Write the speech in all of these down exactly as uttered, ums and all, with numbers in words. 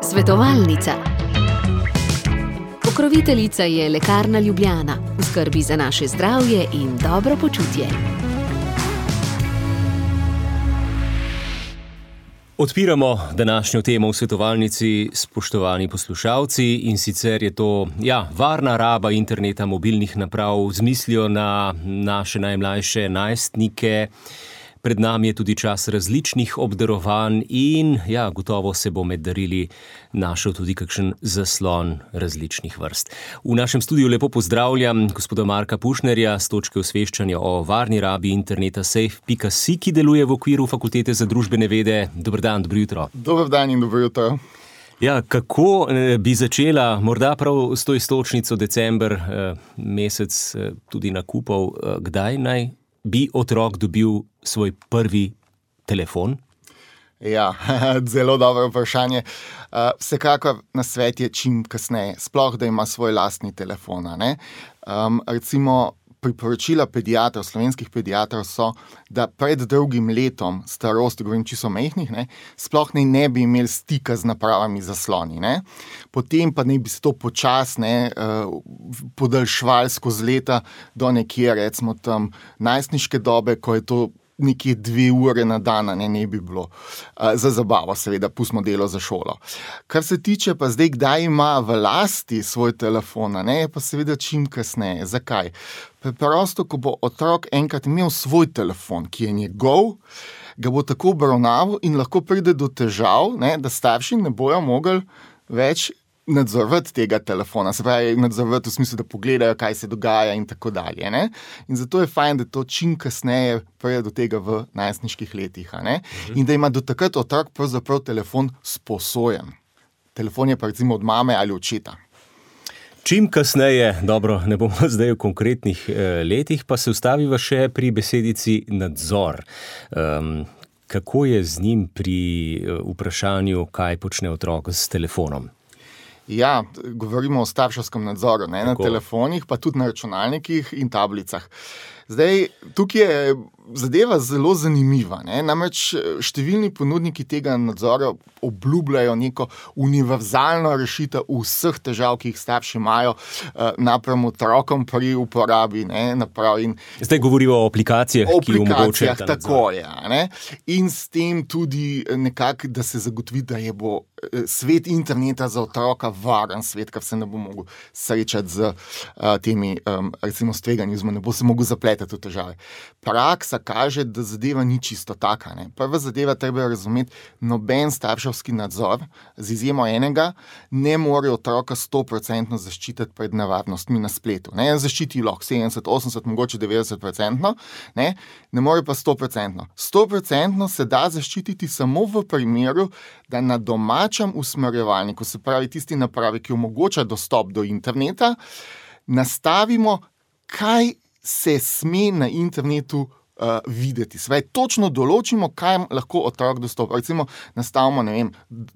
Svetovalnica. Pokroviteljica je Lekarna Ljubljana, v skrbi za naše zdravje in dobro počutje. Odpiramo današnjo temo v svetovalnici, spoštovani poslušalci, in sicer je to, ja, varna raba interneta, mobilnih naprav z mislijo na naše najmlajše najstnike. Pred nami je tudi čas različnih obdarovanj in, ja, gotovo se bo med darili našel tudi kakšen zaslon različnih vrst. V našem studiu lepo pozdravljam gospoda Marka Pušnerja s točke osveščanja o varni rabi interneta safe pika si, ki deluje v okviru Fakultete za družbene vede. Dober dan, dobro jutro. Dober dan in dobro jutro. Ja, kako bi začela, morda prav s to iztočnico december, mesec tudi nakupov, kdaj naj bi otrok dobil svoj prvi telefon? Ja, zelo dobro vprašanje. Vsekakor nasvet je čim kasneje, sploh da ima svoj lastni telefon, a ne. Um, recimo priporočila pediatrov, slovenskih pediatrov so, da pred drugim letom starosti, govorim čisto majhnih, ne, sploh ne, ne bi imeli stika z napravami zasloni, ne. Potem pa ne bi se to počasne uh, podaljšvali skozi leta do nekje, recimo tam najstniške dobe, ko je to nekje dve ure na dan, ne, ne bi bilo. Uh, za zabavo, seveda, pustimo delo za šolo. Kar se tiče pa zdaj, kdaj ima v lasti svoj telefon, ne, pa seveda čim kasneje. Zakaj? Preprosto, ko bo otrok enkrat imel svoj telefon, ki je njegov, ga bo tako obravnaval in lahko pride do težav, ne, da starši ne bojo mogli več nadzorovati tega telefona, se pravi nadzorovati v smislu, da pogledajo, kaj se dogaja in tako dalje. Ne? In zato je fajn, da to čim kasneje pride do tega v najstniških letih. A ne? Mhm. In da ima do takrat otrok pravzaprav telefon sposojen. Telefon je pa recimo od mame ali očeta. Čim kasneje, dobro, ne bomo zdaj v konkretnih eh, letih, pa se ustaviva še pri besedici nadzor. Um, kako je z njim pri uh, vprašanju, kaj počne otrok s telefonom? Ja, govorimo o starševskem nadzoru, ne, na telefonih, pa tudi na računalnikih in tablicah. Zdaj, tukaj je zadeva zelo zanimiva, ne? Namreč številni ponudniki tega nadzora obljubljajo neko univerzalno rešitev vseh težav, ki jih starši imajo napram otrokom pri uporabi, ne, naprav. In zdaj govorimo o aplikacijah, o ki omogočajo ta nadzor. Tako je, ne? In s tem tudi nekako, da se zagotovi, da je bo svet interneta za otroka varen svet, kar se ne bo mogel srečati z uh, temi, um, recimo, s tveganjem, ne bo se mogel zapletati v težave. Praksa kaže, da zadeva ni čisto taka. Ne? Prva zadeva treba razumeti, noben starševski nadzor, z izjemo enega, ne more otroka sto procentno zaščititi pred nevarnostmi na spletu. Ne zaščiti lahko sedemdeset, osemdeset, mogoče devetdeset procentno, ne, ne more pa sto procentno. sto procentno se da zaščititi samo v primeru, da na domačem usmerjevalniku, se pravi tisti napravi, ki omogoča dostop do interneta, nastavimo, kaj se sme na internetu uh, videti. Sve, točno določimo, kaj lahko otrok dostopa. Recimo, nastavimo, ne vem,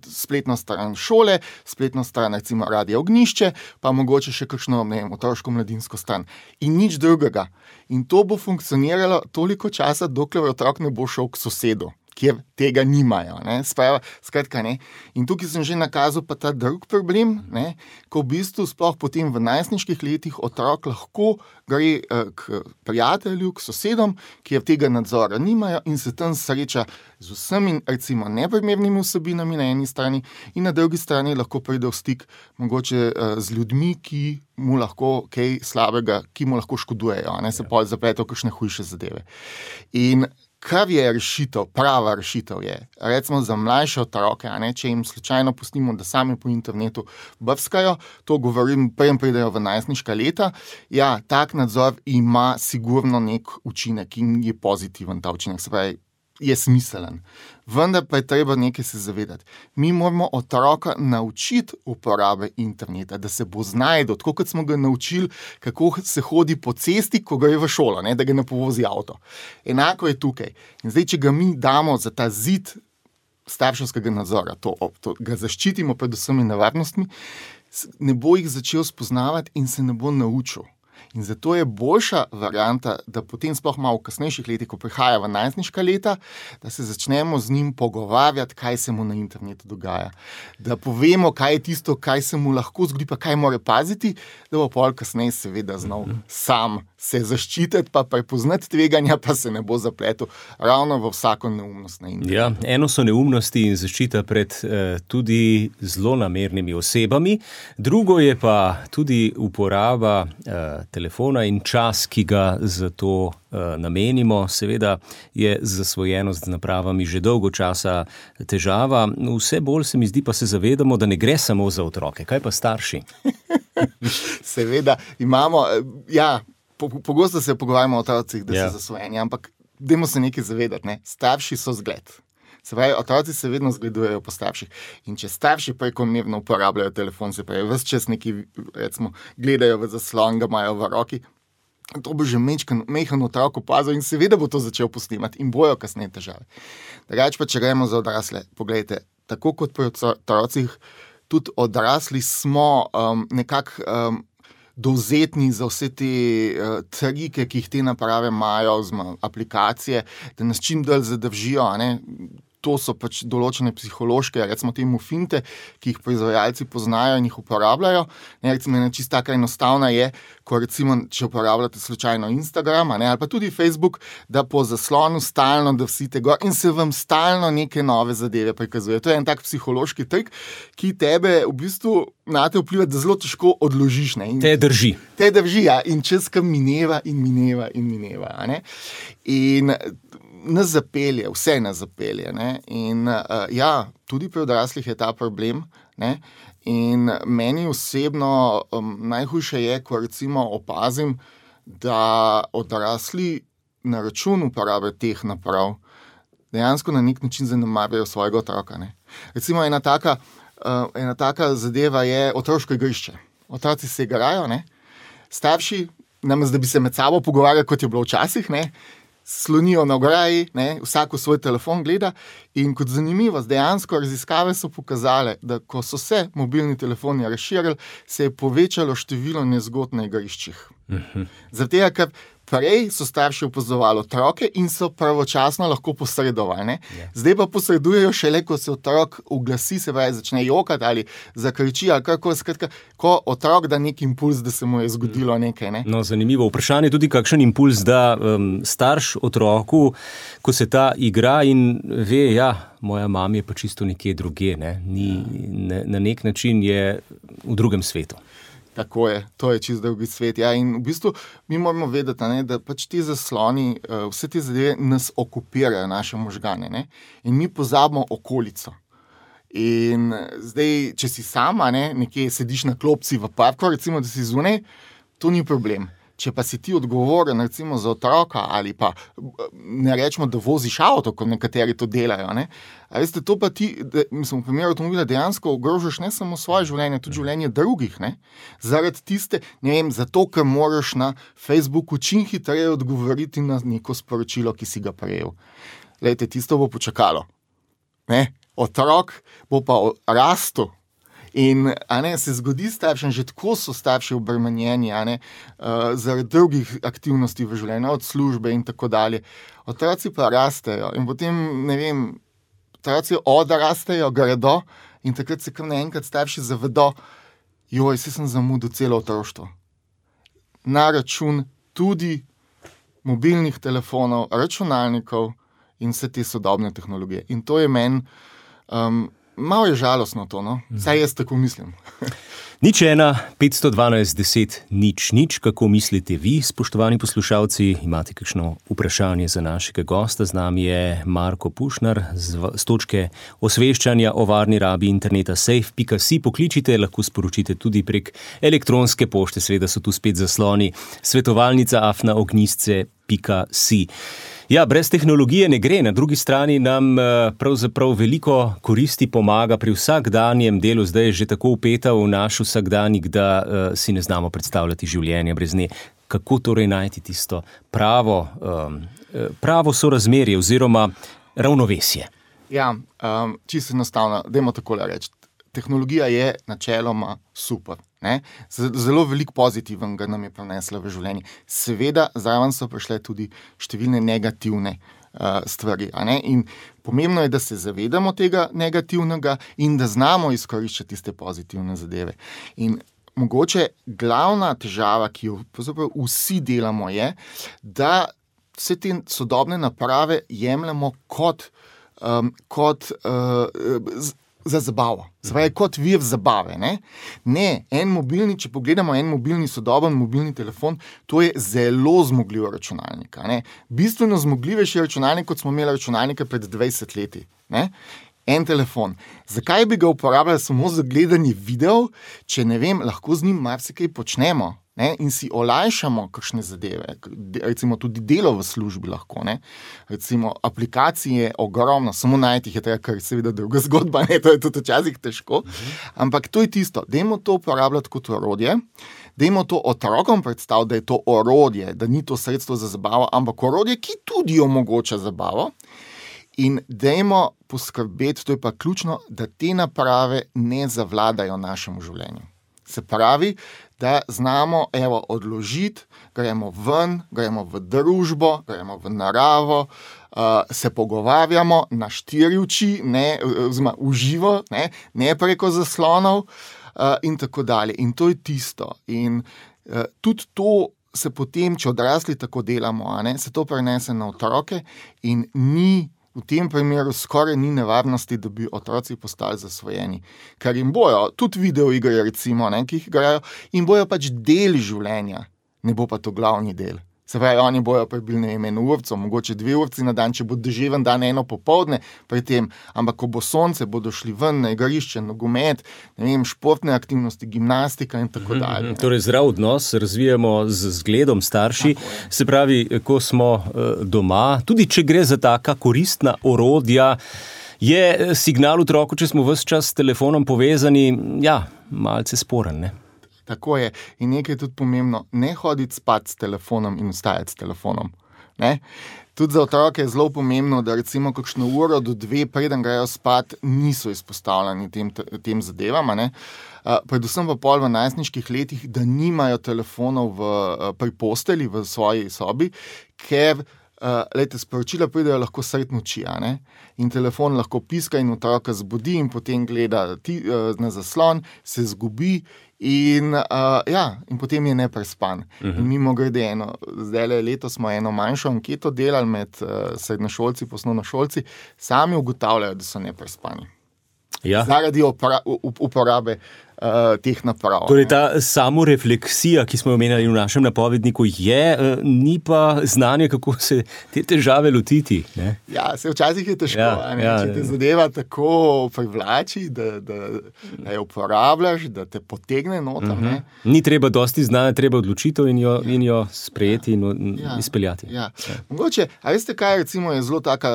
spletno stran šole, spletno stran, recimo, Radio Ognjišče, pa mogoče še kakšno, ne vem, otroško-mladinsko stran. In nič drugega. In to bo funkcioniralo toliko časa, dokler otrok ne bo šel k sosedu, kjer tega nimajo. Ne? Sprava, skratka, ne. In tukaj sem že nakazal pa ta drug problem, ne? Ko v bistvu sploh potem v najstniških letih otrok lahko gre eh, k prijatelju, k sosedom, kjer tega nadzora nimajo in se tam sreča z vsemi, recimo, neprimernimi vsebinami na eni strani in na drugi strani lahko pride v stik mogoče eh, z ljudmi, ki mu lahko kaj slabega, ki mu lahko škodujejo, ne, se pol zapleto kakšne hujše zadeve. In kar je rešitev, prava rešitev je, recimo za mlajše otroke, a ne, če jim slučajno pustimo, da sami po internetu brskajo, to govorim, preden pridejo v najstniška leta, ja, tak nadzor ima sigurno nek učinek in je pozitiven ta učinek, se pravi, je smiselen. Vendar pa je treba nekaj se zavedati. Mi moramo otroka naučiti uporabe interneta, da se bo znajdel, tako kot smo ga naučili, kako se hodi po cesti, ko gre v šolo, ne, da ga ne povozi avto. Enako je tukaj. In zdaj, če ga mi damo za ta zid starševskega nadzora, to, to ga zaščitimo pred vsemi nevarnostmi, ne bo jih začel spoznavati in se ne bo naučil. In zato je boljša varianta, da potem sploh malo v kasnejših letih, ko prihaja v najstniška leta, da se začnemo z njim pogovarjati, kaj se mu na internetu dogaja. Da povemo, kaj je tisto, kaj se mu lahko zgodi, pa kaj mora paziti, da bo pol kasneje seveda znal sam se zaščititi, pa prepoznati tveganja, pa se ne bo zapletel ravno v vsako neumnost na internetu. Ja, eno so neumnosti in zaščita pred eh, tudi zlonamernimi osebami, drugo je pa tudi uporaba eh, telefona in čas, ki ga za to uh, namenimo. Seveda je zasvojenost z napravami že dolgo časa težava. Vse bolj se mi zdi, pa se zavedamo, da ne gre samo za otroke. Kaj pa starši? Seveda imamo, ja, pogosto po se pogovarjamo o otrocih, da ja. so zasvojeni, ampak dajmo se nekaj zavedati, ne? Starši so zgled. Se pravi, otroci se vedno zgledujejo po starših. In če starši prekomerno uporabljajo telefon, se pravi, ves čas neki, recimo, gledajo v zaslon, ga imajo v roki, to bo že mehen otrok opazil in seveda bo to začel posnemati in bojo kasneje težave. Drugače pa, če gremo za odrasle, poglejte, tako kot pri otrocih, tudi odrasli smo um, nekako um, dovzetni za vse te uh, trike, ki jih te naprave imajo, oziroma aplikacije, da nas čim dalj zadržijo, a ne? To so pač določene psihološke, recimo temu finte, ki jih proizvajalci poznajo in jih uporabljajo. Ne, recimo ena čisto taka enostavna je, ko recimo, če uporabljate slučajno Instagram, ne, ali pa tudi Facebook, da po zaslonu stalno drsite gor in se vam stalno neke nove zadeve prikazuje. To je en tak psihološki trik, ki tebe v bistvu na te vpliva, da zelo težko odložiš. Ne. In, te drži. Te drži, ja. In čas, kam mineva in mineva in mineva. A ne. In nas zapelje, vse nas zapelje. Ne? In uh, ja, tudi pri odraslih je ta problem. Ne? In meni osebno um, najhujše je, ko recimo opazim, da odrasli na račun uporabe teh naprav dejansko na nek način zanemarjajo svojega otroka. Ne? Recimo ena taka, uh, ena taka zadeva je otroško igrišče. Otroci se igrajo, ne? Starši, namesto da bi se med sabo pogovarjali, kot je bilo včasih, ne? Slonijo na ograji, ne, vsak v svoj telefon gleda in kot zanimivost, dejansko raziskave so pokazale, da ko so se mobilni telefoni razširili, se je povečalo število nezgod na igriščih. Uh-huh. Zaradi tega, ker prej so starši opazovali otroke in so pravočasno lahko posredovali. Ne? Yeah. Zdaj pa posredujejo šele, ko se otrok uglasi, se pravi, začne jokati ali zakriči, ali kako, skratka, ko otrok da nek impuls, da se mu je zgodilo nekaj. Ne? No, zanimivo vprašanje je tudi, kakšen impuls da um, starš otroku, ko se ta igra in ve, ja, moja mama je pa čisto nekje druge, ne? Ni, ne, na nek način je v drugem svetu. Tako je, to je čisto drugi svet. Ja, in v bistvu mi moramo vedeti, ne, da pač ti zasloni, vse te zadeve nas okupirajo, naše možgane. Ne, in mi pozabimo okolico. In zdaj, če si sama, ne, nekje sediš na klopci v parku, recimo, da si zunaj, to ni problem. Če pa si ti odgovoren, recimo, za otroka ali pa ne rečemo, da voziš avto, kot nekateri to delajo, ne? A veste, to pa ti, da, mislim, v primeru avtomobila dejansko ogrožaš ne samo svoje življenje, tudi življenje drugih, ne? Zaradi tiste, ne vem, zato, ker moraš na Facebooku čim hitreje odgovoriti na neko sporočilo, ki si ga prejel. Glejte, tisto bo počakalo, ne? Otrok bo pa rastel. In a ne, se zgodi staršem, že tako so starši obremenjeni, a ne, uh, zaradi drugih aktivnosti v življenju, od službe in tako dalje. Otroci pa rastejo in potem, ne vem, otroci odrastejo, gredo in takrat se kar naenkrat starši zavedo, joj, se sem zamudil celo otroštvo. Na račun tudi mobilnih telefonov, računalnikov in vse te sodobne tehnologije. In to je meni um, malo je žalostno to, no? Saj jaz tako mislim. Nič ena, petsto dvanajst, deset, nič, nič. Kako mislite vi, spoštovani poslušalci? Imate kakšno vprašanje za našega gosta? Z nami je Marko Pušnar z, z točke osveščanja o varni rabi interneta safe pika si. Pokličite, lahko sporočite tudi prek elektronske pošte, seveda so tu spet zasloni svetovalnica afna ognjisce pika si. Ja, brez tehnologije ne gre, na drugi strani nam pravzaprav veliko koristi pomaga pri vsakdanjem delu, zdaj je že tako vpeta v naš vsakdanjik, da uh, si ne znamo predstavljati življenja brez nje. Kako torej najti tisto pravo, um, pravo sorazmerje oziroma ravnovesje? Ja, um, čisto enostavno, dajmo takole reči. tehnologija je načeloma super. Ne? Zelo veliko pozitivnega nam je prinesla v življenje. Seveda, zraven so prišle tudi številne negativne uh, stvari. A ne? In pomembno je, da se zavedamo tega negativnega in da znamo izkoriščati tiste pozitivne zadeve. In mogoče glavna težava, ki jo vsi delamo, je, da vse te sodobne naprave jemljemo kot, um, kot uh, z, za zabavo. Zdaj, kot vir zabave. Ne? ne, en mobilni, če pogledamo en mobilni, sodoben mobilni telefon, to je zelo zmogljiv računalnik. Ne? Bistveno zmogljivejši računalnik, kot smo imeli računalnike pred dvajset leti. Ne? En telefon. Zakaj bi ga uporabljali samo za gledanje videov, če ne vem, lahko z njim marsikaj počnemo, ne? In si olajšamo kakšne zadeve, recimo tudi delo v službi lahko, ne? Recimo aplikacije ogromno, samo najti jih je treba, kar je seveda druga zgodba, ne? To je tudi včasih težko, ampak to je tisto, dajmo to uporabljati kot orodje, dajmo to otrokom predstaviti, da je to orodje, da ni to sredstvo za zabavo, ampak orodje, ki tudi omogoča zabavo. In dajmo poskrbeti, to je pa ključno, da te naprave ne zavladajo našemu življenju. Se pravi, da znamo evo, odložiti, gremo ven, gremo v družbo, gremo v naravo, uh, se pogovarjamo na štiri oči, ne, oziroma v živo, ne, ne preko zaslonov uh, in tako dalje. In to je tisto. In uh, tudi to se potem, če odrasli tako delamo, a ne, se to prenese na otroke in ni v tem primeru skoraj ni nevarnosti, da bi otroci postali zasvojeni. Ker jim bojo, tudi videoigre recimo, ne, ki jih igrajo, in bojo pač del življenja, ne bo pa to glavni del. Se pravi, oni bojo prebili ne vem, eno urco, mogoče dve urci na dan, če bo deževen dan, eno popoldne pri tem, ampak ko bo sonce, bodo šli ven na igrišče, nogomet, ne vem, športne aktivnosti, gimnastika in tako dalje. Mm-hmm. Torej, zdrav odnos razvijamo z zgledom starši, se pravi, ko smo doma, tudi če gre za taka koristna orodja, je signal otroku, če smo ves čas s telefonom povezani, ja, malce sporen, ne? Tako je. In nekaj je tudi pomembno, ne hoditi spat s telefonom in vstajati s telefonom. Ne? Tudi za otroke je zelo pomembno, da recimo kakšno uro do dve, preden grejo spat, niso izpostavljeni tem, tem zadevam. Ne? Uh, predvsem pa pol v najstniških letih, da nimajo telefonov v, uh, pri posteli, v svoji sobi, ker uh, lejte, sporočila pridejo lahko sred noči, a ne? In telefon lahko piska in otroka zbudi in potem gleda ti, uh, na zaslon, se zgubi. In, uh, ja, in potem je neprespan. Uh-huh. In mimo grede eno, zdaj letos smo eno manjšo anketo delali med uh, srednjošolci, poslovnošolci, sami ugotavljajo, da so neprespani. Ja. Zaradi opra, uporabe uh, teh naprav. Torej, ta samorefleksija, ki smo jo omenjali v našem napovedniku, je, uh, ni pa znanje, kako se te težave lotiti. Ne? Ja, se včasih je težko, ja, ja, če te zadeva tako privlači, da, da, da jo uporabljaš, da te potegne noter. Uh-huh. Ni treba dosti znanja, treba odločitev in jo, in jo sprejeti in, in ja. izpeljati. Ja. Ja. Mogoče, a veste kaj, recimo je zelo taka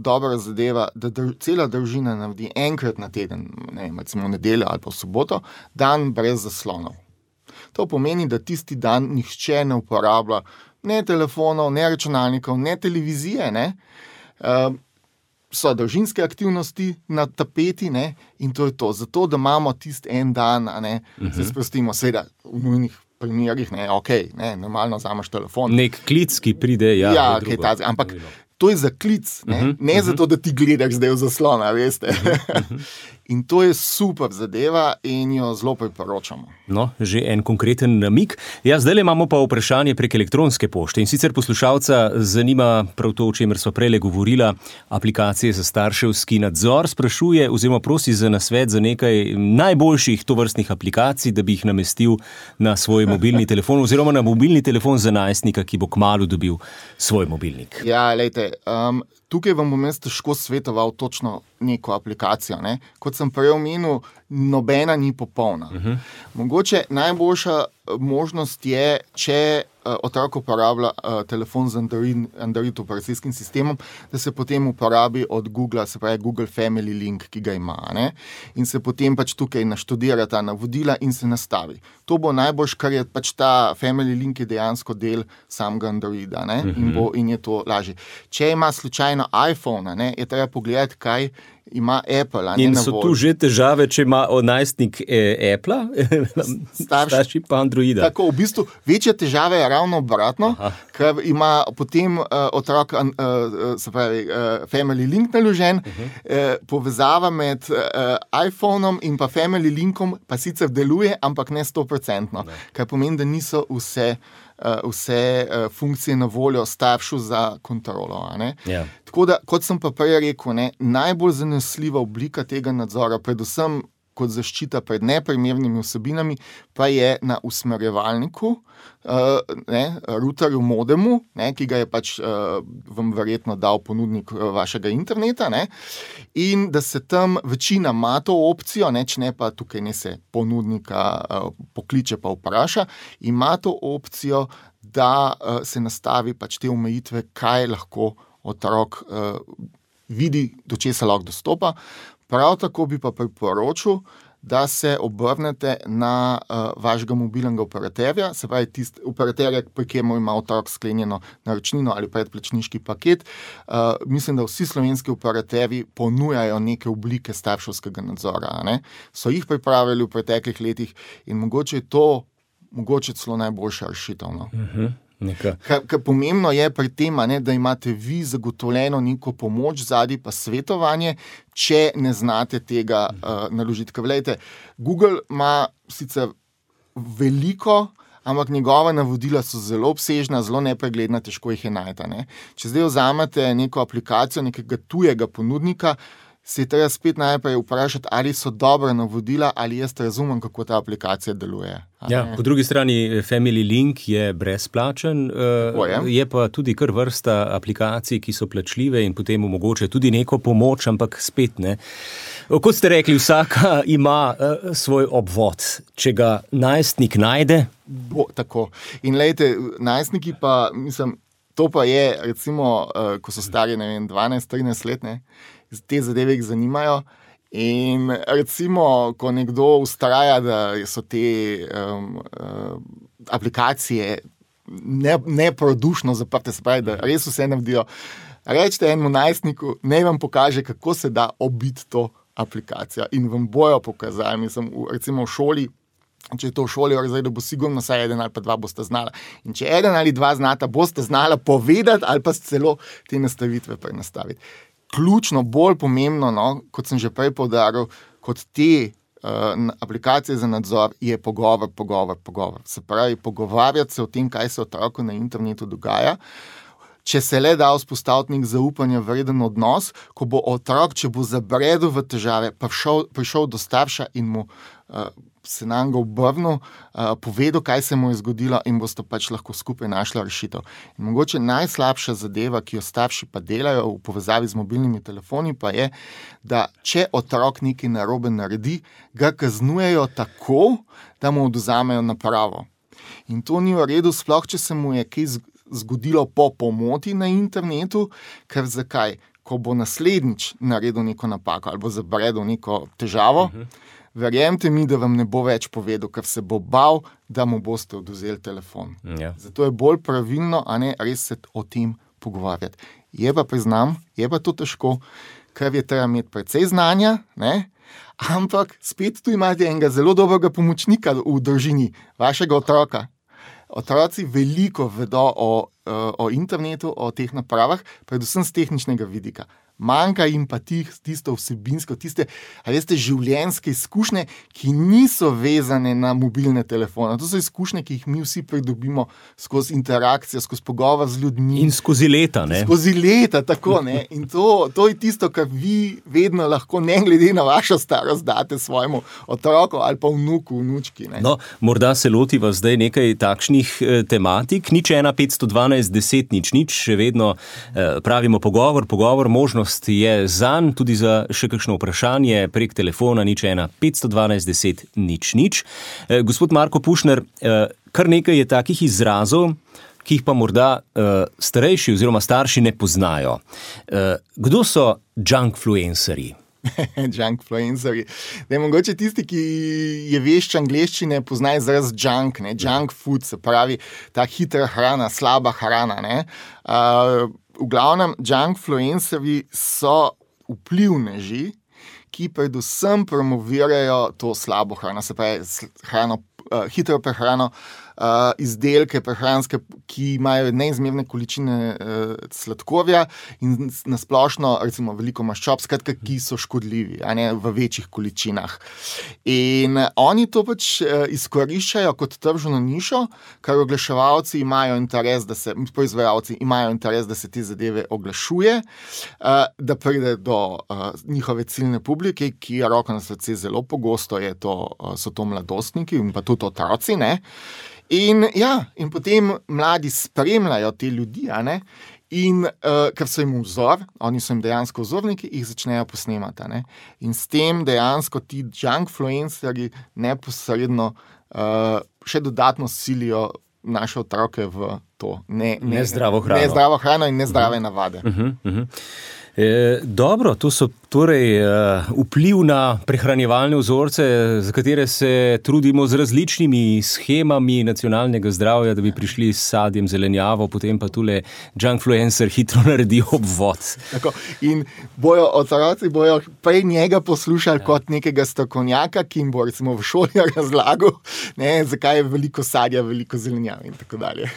dobra zadeva, da dr- cela družina naredi enkrat na teden, ne vem, recimo v nedeljo ali pa v soboto, dan brez zaslonov. To pomeni, da tisti dan nihče ne uporablja ne telefonov, ne računalnikov, ne televizije, ne. Uh, so družinske aktivnosti na tapeti, ne, in to je to. Zato, da imamo tisti en dan, a ne, uh-huh. se sprostimo, seveda v nujnih primerih, ne, okej, ne, normalno vzameš telefon. Nek klic, ki pride, ja. Ja, kaj ta, ampak to je za klic, ne, uh-huh. ne uh-huh. zato, da ti gledaš zdaj v zaslona, veste. Uh-huh. In to je super zadeva in jo zelo priporočamo. No, že en konkreten namik. Ja, zdaj imamo pa vprašanje prek elektronske pošte. In sicer poslušalca zanima prav to, o čemer sva prejle govorila, aplikacije za starševski nadzor. Sprašuje oziroma prosi za nasvet za nekaj najboljših tovrstnih aplikacij, da bi jih namestil na svoj mobilni telefon oziroma na mobilni telefon za najstnika, ki bo kmalu dobil svoj mobilnik. Ja, lejte, um, tukaj vam bom jaz težko svetoval točno neko aplikacijo. Ne? Kot sem prej omenil, nobena ni popolna. Uh-huh. Mogoče najboljša možnost je, če uh, otrok uporablja uh, telefon z Android, Android operacijskim sistemom, da se potem uporabi od Google, se pravi Google Family Link, ki ga ima. Ne? In se potem pač tukaj naštudira ta navodila in se nastavi. To bo najboljš, kar je pač ta Family Link je dejansko del samega Androida, ne? Uh-huh. in, bo, in je to lažje. Če ima slučajno iPhone, ne, je treba pogledati, kaj ima Apple. In so tu že težave, če ima najstnik eh, Apple, starši pa Androida. Tako, v bistvu večja težava je ravno obratno, Aha. ker ima potem uh, otrok, uh, uh, se pravi, uh, Family Link naložen, uh-huh. uh, povezava med uh, iPhonom in pa Family Linkom pa sicer deluje, ampak ne sto procentno, kar pomeni, da niso vse Uh, vse uh, funkcije na voljo staršu za kontrolo. Ja. Tako da, kot sem pa prej rekel, ne, najbolj zanesljiva oblika tega nadzora, predvsem kot zaščita pred neprimernimi vsebinami, pa je na usmerjevalniku, uh, ne, routerju, modemu, ne, ki ga je pač uh, vam verjetno dal ponudnik uh, vašega interneta, ne, in da se tam večina ima to opcijo, ne, če ne pa tukaj ne se ponudnika uh, pokliče pa vpraša, ima to opcijo, da uh, se nastavi pač te omejitve, kaj lahko otrok uh, vidi, do česa lahko dostopa. Prav tako bi pa priporočil, da se obrnete na uh, vašega mobilnega operaterja, se pravi tist operaterja, pri katerem ima otrok sklenjeno naročnino ali predplačniški paket. Uh, mislim, da vsi slovenski operaterji ponujajo neke oblike starševskega nadzora. Ne? So jih pripravili v preteklih letih in mogoče je to mogoče celo najboljša rešitev. No? Uh-huh. Kar, kar pomembno je pri tem, ne, da imate vi zagotovljeno neko pomoč zadaj pa svetovanje, če ne znate tega uh, naložiti. Ker vlejte, Google ima sicer veliko, ampak njegova navodila so zelo obsežna, zelo nepregledna, težko jih je najti. Ne. Če zdaj vzamete neko aplikacijo nekega tujega ponudnika, se je treba spet najprej vprašati, ali so dobra navodila, ali jaz razumem, kako ta aplikacija deluje. Ja, po drugi strani Family Link je brezplačen, je. je pa tudi kar vrsta aplikacij, ki so plačljive in potem omogočajo tudi neko pomoč, ampak spet ne. Kot ste rekli, vsaka ima uh, svoj obvod. Če ga najstnik najde? Bo, tako. In lejte, najstniki pa, mislim, to pa je, recimo, uh, ko so stari, ne vem, dvanajst trinajst let, ne, te zadeve jih zanimajo in recimo, ko nekdo vztraja, da so te um, uh, aplikacije ne, neprodušno zaprte, se pravi, da res vse navdijo, rečete enemu najstniku, naj vam pokaže, kako se da obiti to aplikacijo in vam bojo pokazali, mislim, v, recimo v šoli, če je to v šoli, zdaj, da bo sigurno saj eden ali pa dva boste znala. In če eden ali dva znata, boste znala povedati ali pa celo te nastavitve prenastaviti. Ključno, bolj pomembno, no, kot sem že prej poudaril, kot te uh, aplikacije za nadzor, je pogovor, pogovor, pogovor. Se pravi, pogovarjati se o tem, kaj se otroku na internetu dogaja. Če se le da vzpostaviti nek zaupanja vreden odnos, ko bo otrok, če bo zabredel v težave, prišel, prišel do starša in mu uh, se nam ga obrnil, uh, povedal, kaj se mu je zgodilo in boste pač lahko skupaj našla rešitev. In mogoče najslabša zadeva, ki jo starši pa delajo v povezavi z mobilnimi telefoni, pa je, da če otrok nekaj narobe naredi, ga kaznujejo tako, da mu odvzamejo napravo. In to ni v redu, sploh če se mu je kaj zgodilo po pomoti na internetu, ker zakaj? Ko bo naslednjič naredil neko napako ali bo zabredel neko težavo, uh-huh. Verjemite mi, da vam ne bo več povedal, ker se bo bal, da mu boste odvzeli telefon. Ja. Zato je bolj pravilno, a ne res se o tem pogovarjati. Je pa, priznam, je pa to težko, ker je treba imeti precej znanja, ne? Ampak spet tu imate enega zelo dobrega pomočnika v družini, vašega otroka. Otroci veliko vedo o, o internetu, o teh napravah, predvsem z tehničnega vidika. Manjka jim pa tih, tisto vsebinsko, tiste, a veste, življenjske izkušnje, ki niso vezane na mobilne telefone. To so izkušnje, ki jih mi vsi pridobimo skozi interakcijo, skozi pogovor z ljudmi. In skozi leta, ne? Skozi leta, tako, ne. In to, to je tisto, kar vi vedno lahko, ne glede na vašo starost, date svojemu otroku ali pa vnuku, vnučki, ne. No, morda se lotiva zdaj nekaj takšnih eh, tematik. Nič ena petsto dvanajst deset nič nič, še vedno eh, pravimo pogovor, pogovor, možnost je zanj, tudi za še kakšno vprašanje prek telefona nič ena petsto dvanajst deset nič nič. Eh, gospod Marko Pušner, eh, kar nekaj je takih izrazov, ki jih pa morda eh, starejši oziroma starši ne poznajo. Eh, kdo so junkfluencerji? Junkfluencerji. Mogoče tisti, ki je vešč angleščine, pozna izraz junk, ne? Junk food, se pravi ta hitra hrana, slaba hrana. Ne? Uh, v glavnem, junkfluencerji so vplivneži, ki predvsem promovirajo to slabo hrano, se pravi hrano, uh, hitro prehrano, uh, izdelke prehranske, ki imajo neizmerne količine uh, sladkorja in nasplošno recimo veliko maščob, skratka, ki so škodljivi, a ne v večjih količinah. In oni to pač uh, izkoriščajo kot tržno nišo, ker oglaševalci imajo interes, da se, proizvajalci imajo interes, da se te zadeve oglašuje, uh, da pride do uh, njihove ciljne publike, ki je roko na srce zelo pogosto, je to, uh, so to mladostniki in pa tudi otroci, ne. In, ja, in potem mladi spremljajo te ljudi, a ne? In uh, ker so jim vzor, oni so jim dejansko vzorniki, jih začnejo posnemati. A ne? In s tem dejansko ti junkfluencerji neposredno uh, še dodatno silijo naše otroke v to ne, ne, nezdravo hrano. nezdravo hrano in nezdrave uh-huh. navade. Uh-huh, uh-huh. E, dobro, to so torej uh, vpliv na prehranjevalne vzorce, za katere se trudimo z različnimi schemami nacionalnega zdravja, da bi prišli s sadjem, zelenjavo, potem pa tule junkfluencer hitro naredi obvod. Tako, in bojo otroci bojo prej njega poslušali ja. kot nekega strokovnjaka, ki jim bo recimo v šoli razlagal, ne, zakaj je veliko sadja, veliko zelenjave in tako dalje.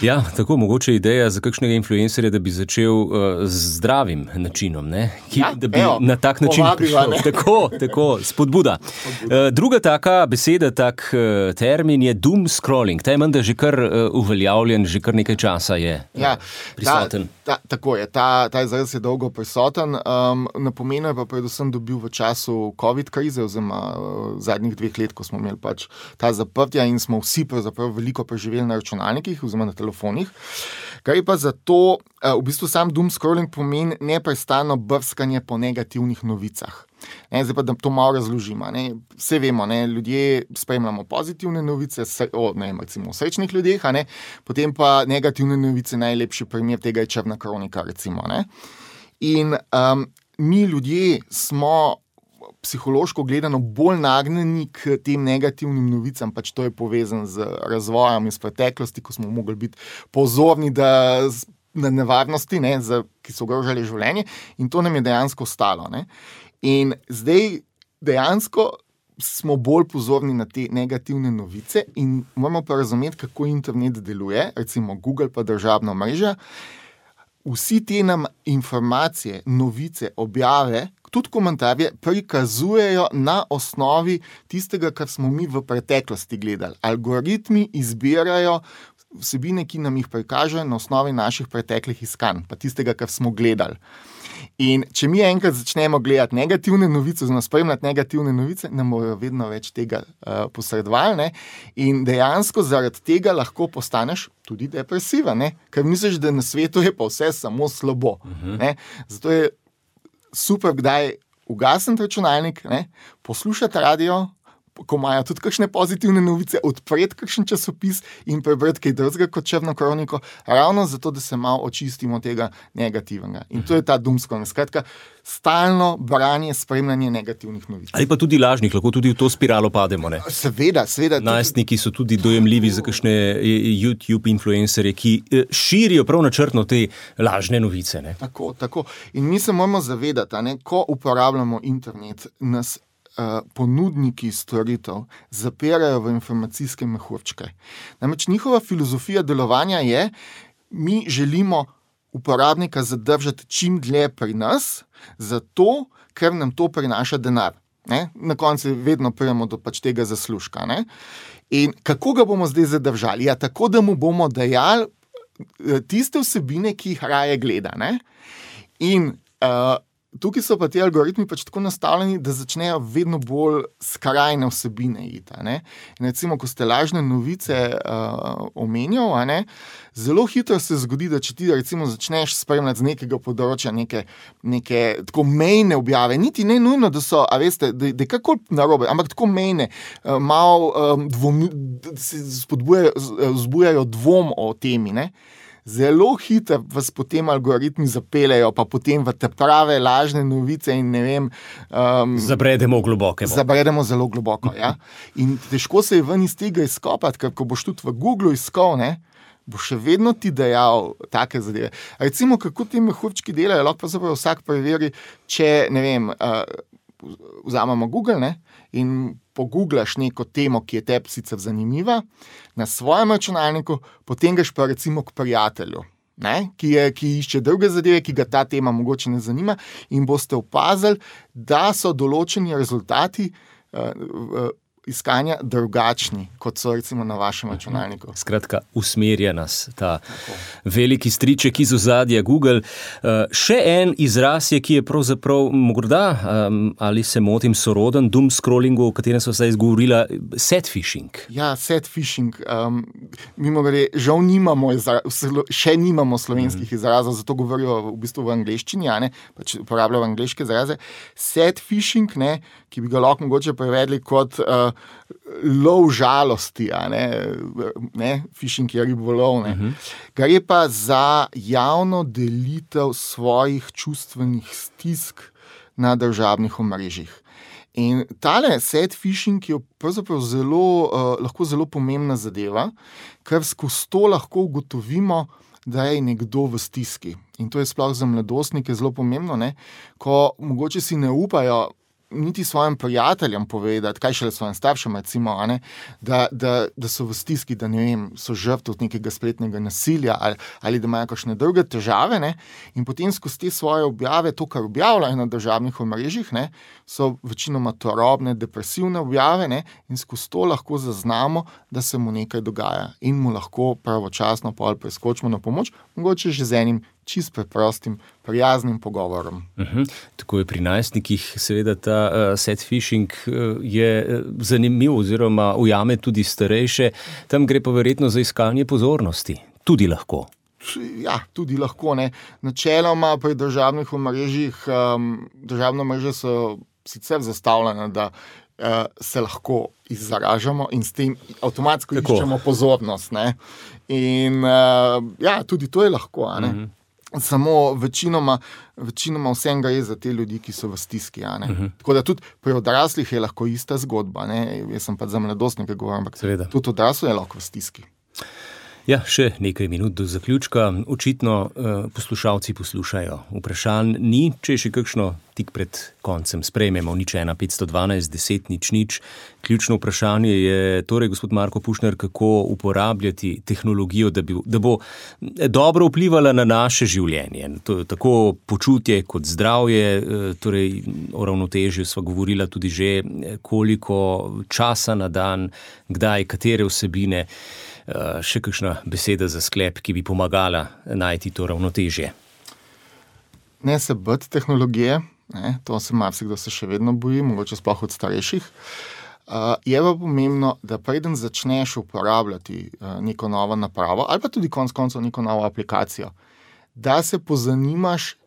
Ja, tako mogoče ideja za kakšnega influencerja, da bi začel uh, z zdravim načinom, ne? Ki, ja, da bi evo, na tak način prišel. Tako, tako, spodbuda. spodbuda. Uh, druga taka beseda, tak uh, termin je doom scrolling. Ta je menda že kar uh, uveljavljen, že kar nekaj časa je uh, ja, prisoten. Ta, ta, tako je, ta, ta izraz je dolgo prisoten. Um, na pomenu je pa predvsem dobil v času COVID krize, oziroma uh, zadnjih dveh let, ko smo imeli pač ta zaprtja in smo vsi pravzaprav veliko preživeli na računalnikih oziroma na telefonih. Kar je pa zato, uh, v bistvu sam doom scrolling pomeni neprestano brskanje po negativnih novicah. Ne, zdaj pa, da to malo razložimo. Ne. Vse vemo, ne, ljudje spremljamo pozitivne novice o, ne, recimo, srečnih ljudeh, a ne, potem pa negativne novice, najlepši primer tega je črna kronika, recimo. Ne. In um, mi ljudje smo psihološko gledano bolj nagnjeni k tem negativnim novicam, pač to je povezano z razvojem iz preteklosti, ko smo mogli biti pozorni, da na nevarnosti, ne, za, ki so ogrožali življenje, in to nam je dejansko ostalo. Ne. In zdaj dejansko smo bolj pozorni na te negativne novice in moramo pa razumeti, kako internet deluje, recimo Google pa državna mreža. Vsi te nam informacije, novice, objave, tudi komentarje prikazujejo na osnovi tistega, kar smo mi v preteklosti gledali. Algoritmi izbirajo vsebine, ki nam jih prikažejo na osnovi naših preteklih iskanj, pa tistega, kar smo gledali. In če mi enkrat začnemo gledati negativne novice, oziroma spremljati negativne novice, nam bojo vedno več tega uh, posredovali, ne? In dejansko zaradi tega lahko postaneš tudi depresiva, ne? Ker misliš, da na svetu je pa vse samo slabo. Uh-huh. Ne? Zato je super, kdaj ugasniti računalnik, ne? Poslušati radio, ko imajo tudi kakšne pozitivne novice, odpreti kakšen časopis in prebrati kaj drugega kot črno kroniko, ravno zato, da se malo očistimo tega negativnega. In to je ta doom scrolling. Skratka, stalno branje, spremljanje negativnih novic. Ali pa tudi lažnih, lahko tudi v to spiralo pademo, ne? Seveda, seveda. Najstniki so tudi dojemljivi za kakšne YouTube influencerje, ki širijo prav načrtno te lažne novice, ne? Tako, tako. In mi se moramo zavedati, ne, ko uporabljamo internet, nas Uh, ponudniki storitev zapirajo v informacijske mehurčke. Namreč njihova filozofija delovanja je, mi želimo uporabnika zadržati čim dlje pri nas, zato, ker nam to prinaša denar. Ne? Na koncu vedno prijemo do pač tega zaslužka. Ne? In kako ga bomo zdaj zadržali? Ja, tako, da mu bomo dajali tiste vsebine, ki jih raje gleda. Ne? In uh, tukaj so pa ti algoritmi pač tako nastavljeni, da začnejo vedno bolj skrajne vsebine iti. Ne? In recimo, ko ste lažne novice uh, omenjal, a ne, zelo hitro se zgodi, da če ti recimo začneš spremljati z nekega področja neke, neke tako mejne objave, niti ne nujno, da so, a veste, da, da je kako narobe, ampak tako mejne, uh, malo um, dvom, se spodbujajo, zbujajo dvom o temi, ne? Zelo hitro vas potem algoritmi zapeljejo, pa potem v te prave lažne novice in ne vem... Um, zabredemo globoko. Zabredemo zelo globoko, ja. In težko se je ven iz tega izkopati, ker ko boš tudi v Google iskal, ne, bo še vedno ti dejal take zadeve. Recimo, kako ti mehurčki delajo, lahko pa zapravo vsak preveri, če, ne vem, uh, vzamemo Google, ne, in pogooglaš neko temo, ki je tebi sicer zanimiva, na svojem računalniku, potem greš pa recimo k prijatelju, ne, ki, je, ki išče druge zadeve, ki ga ta tema mogoče ne zanima, in boste opazili, da so določeni rezultati uh, uh, iskanja drugačni, kot so recimo na vašem računalniku. Skratka, usmerja nas ta Tako. veliki striček iz ozadja Google. Uh, še en izraz je, ki je pravzaprav morda, um, ali se motim, soroden doom scrollingu, o katerem so zdaj izgovorila, set phishing. Ja, set phishing. Um, mimo gre, žal nimamo, izra, še nimamo slovenskih mm. izrazov, zato govorijo v bistvu v angleščini, ja, ne, pač uporabljajo angleške izraze. Set phishing, ne, ki bi ga lahko mogoče prevedli kot uh, lov žalosti, a ne, ne, phishing je ribolov, ne. Uh-huh. Gre pa za javno delitev svojih čustvenih stisk na družabnih omrežjih. In tale set phishing je pravzaprav zelo, uh, lahko zelo pomembna zadeva, ker skozi to lahko ugotovimo, da je nekdo v stiski. In to je sploh za mladostnike zelo pomembno, ne, ko mogoče si ne upajo niti svojim prijateljem povedati, kaj šele svojim staršem, recimo, ne, da, da, da so v stiski, da ne vem, so žrtev nekega spletnega nasilja ali, ali da imajo kakšne druge težave, ne, in potem skozi te svoje objave, to, kar objavljajo na državnih omrežjih, ne, so večinoma turobne, depresivne objave, ne, in skozi to lahko zaznamo, da se mu nekaj dogaja in mu lahko pravočasno pol preskočimo na pomoč, mogoče že z enim čist preprostim, prijaznim pogovorom. Uh-huh. Tako je pri najstnikih, seveda ta uh, set phishing uh, je zanimiv oziroma ujame tudi starejše. Tam gre pa verjetno za iskanje pozornosti. Tudi lahko. Ja, tudi lahko, ne. Načeloma pri državnih omrežjih, um, državne mreže so sicer zastavljene, da uh, se lahko izražamo in s tem avtomatsko Tako. iščemo pozornost, ne. In uh, ja, tudi to je lahko, a ne. Uh-huh. Samo večinoma, večinoma vsem gre za te ljudi, ki so v stiski. Ja, ne? Uh-huh. Tako da tudi pri odraslih je lahko ista zgodba. Ne? Jaz sem pa za mladostnike govorim, ampak Seveda. tudi odrasli je lahko v stiski. Ja, še nekaj minut do zaključka. Očitno uh, poslušalci poslušajo. Vprašanj ni, če je še kakšno tik pred koncem sprejmemo. Nič ena, petsto dvanajst, deset, nič, nič. Ključno vprašanje je torej, gospod Marko Pušner, kako uporabljati tehnologijo, da, bi, da bo dobro vplivala na naše življenje. To, tako počutje kot zdravje, torej o ravnotežju sva govorila tudi že, koliko časa na dan, kdaj, katere vsebine. Še kakšna beseda za sklep, ki bi pomagala najti to ravnotežje? Ne se bati tehnologije, ne, to se marsikdo se še vedno boji, mogoče sploh od starejših. Uh, je pa pomembno, da preden začneš uporabljati uh, neko novo napravo ali pa tudi konec koncev neko novo aplikacijo, da se pozanimaš,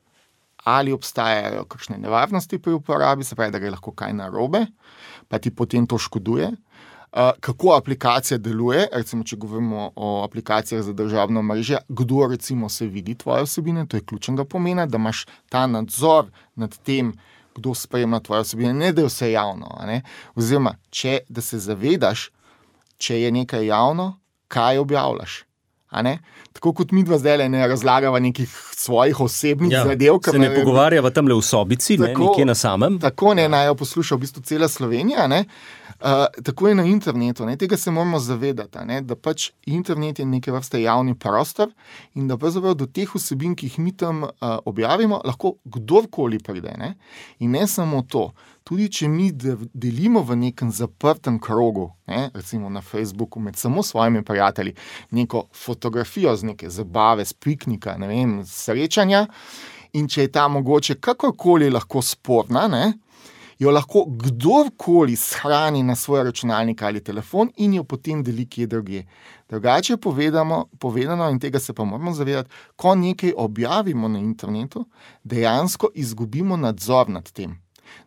ali obstajajo kakšne nevarnosti pri uporabi, se pravi, da gre lahko kaj narobe, pa ti potem to škoduje. Uh, kako aplikacija deluje, recimo, če govorimo o aplikacijah za državno mrežje, kdo recimo se vidi tvoje vsebine, to je ključnega pomena, da imaš ta nadzor nad tem, kdo spremlja tvoje vsebine, ne da je vse javno, a ne? Oziroma, če, da se zavedaš, če je nekaj javno, kaj objavljaš. A ne? Tako kot mi dva zdaj ne razlagava nekih svojih osebnih ja, zadev. Se ne pogovarjava tamle v sobici, tako, ne, nekje na samem. Tako ne, naj jo posluša v bistvu cela Slovenija, ne? Uh, tako je na internetu, ne? Tega se moramo zavedati, ne? Da pač internet je neke vrste javni prostor in da pravzaprav do teh vsebin, ki jih mi tam uh, objavimo, lahko kdorkoli pride. Ne? In ne samo to, tudi če mi delimo v nekem zaprtem krogu, ne? Recimo na Facebooku med samo svojimi prijatelji, neko fotografijo z neke zabave, z piknika, ne vem, srečanja, in če je ta mogoče kakorkoli lahko sporna, ne? Jo lahko kdorkoli shrani na svoj računalnik ali telefon in jo potem deli kje drugje. Drugače povedano, povedano, in tega se pa moramo zavedati, ko nekaj objavimo na internetu, dejansko izgubimo nadzor nad tem.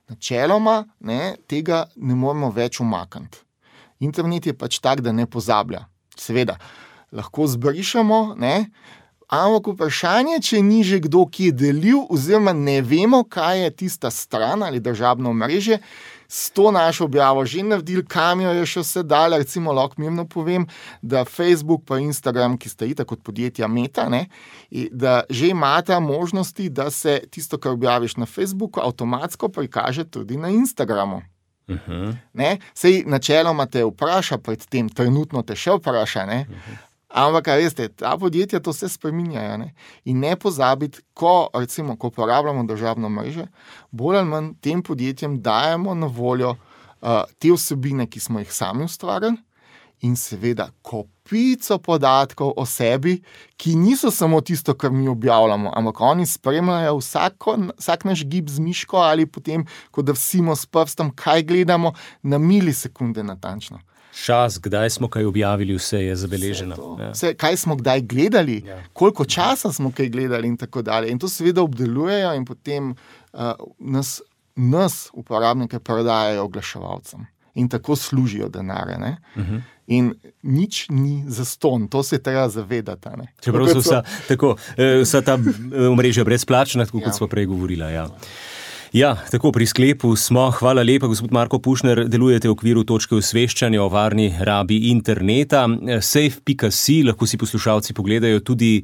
Načeloma ne, tega ne moramo več umakniti. Internet je pač tak, da ne pozablja. Seveda, lahko zbrišemo, ne, Ampak vprašanje, če ni že kdo, ki je delil, oziroma ne vemo, kaj je tista stran ali državno mreže, s to našo objavo že naredili, kam jo je še vse dali. Recimo, lahko mirno povem, da Facebook pa Instagram, ki sta itak kot podjetja Meta, ne, da že imata možnosti, da se tisto, kar objaviš na Facebooku, avtomatsko prikaže tudi na Instagramu. Uh-huh. Ne, sej načeloma te vpraša pred tem, trenutno te še vpraša, ne, uh-huh. Ampak, kaj veste, ta podjetja to vse spreminjajo, ne? In ne pozabiti, ko, recimo, ko uporabljamo državno mreže, bolj ali manj tem podjetjem dajemo na voljo uh, te vsebine, ki smo jih sami ustvarili, in seveda kopico podatkov o sebi, ki niso samo tisto, kar mi objavljamo, ampak oni spremljajo vsako, vsak naš gib z miško ali potem, ko da vsimo s prstom, kaj gledamo, na milisekunde natančno. Čas, kdaj smo kaj objavili, vse je zabeleženo. Vse ja. Vse, kaj smo kdaj gledali, ja. Koliko časa smo kaj gledali in tako dalje. In to seveda obdelujejo in potem uh, nas, nas uporabnike prodajajo oglaševalcem. In tako služijo denarje. Ne? Uh-huh. In nič ni zastonj, to se treba zavedati. Ne? Čeprav so vsa, tako, vsa ta omrežja brezplačna, tako ja. Kot smo prej govorila. Ja. Ja, tako pri sklepu smo. Hvala lepa, gospod Marko Pušner, delujete v okviru točke osveščanja o varni rabi interneta. safe pika si, lahko si poslušalci pogledajo tudi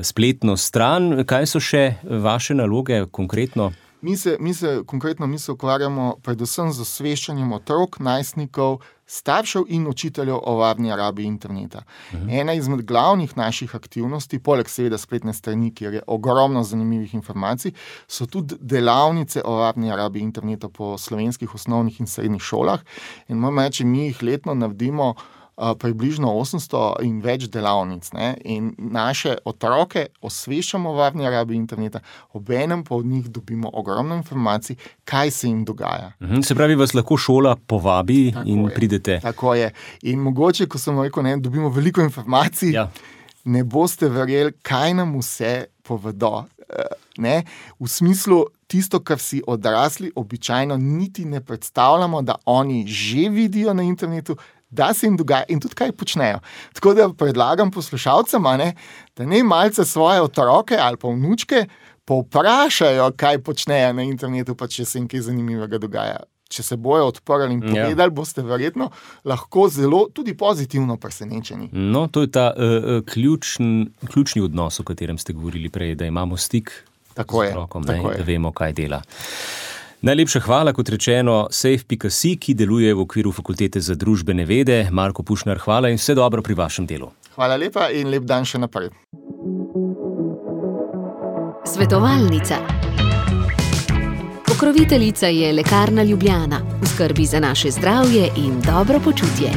spletno stran. Kaj so še vaše naloge konkretno? Mi se, mi se konkretno mi se ukvarjamo predvsem z osveščanjem otrok, najstnikov, staršev in učiteljev o varni rabi interneta. Mhm. Ena izmed glavnih naših aktivnosti, poleg seveda spletne strani, kjer je ogromno zanimivih informacij, so tudi delavnice o varni rabi interneta po slovenskih osnovnih in srednjih šolah. In moram reči, mi jih letno naredimo Uh, približno osemsto in več delavnic. Ne? In naše otroke osveščamo o varni rabi interneta, obenem pa od njih dobimo ogromno informacij, kaj se jim dogaja. Mhm, se pravi, vas lahko šola povabi tako in je, pridete. Tako je. In mogoče, ko sem rekel, ne, dobimo veliko informacij, ja. Ne boste verjeli, kaj nam vse povedo. Uh, ne? V smislu, tisto, kar si odrasli običajno niti ne predstavljamo, da oni že vidijo na internetu, da se jim dogaja in tudi kaj počnejo. Tako da predlagam poslušalcem, ne, da ne malce svoje otroke ali pa vnučke povprašajo, kaj počnejo na internetu, pa če se jim kaj zanimivega dogaja. Če se bojo odprli in povedali, ja. Boste verjetno lahko zelo tudi pozitivno presenečeni. No, to je ta uh, ključn, ključni odnos, o katerem ste govorili prej, da imamo stik tako z otrokom, je, ne, da vemo, kaj dela. Najlepša hvala, kot rečeno, safe pika si, ki deluje v okviru Fakultete za družbene vede. Marko Pušner, hvala in vse dobro pri vašem delu. Hvala lepa in lep dan še naprej. Svetovalnica. Pokroviteljica je Lekarna Ljubljana. V skrbi za naše zdravje in dobro počutje.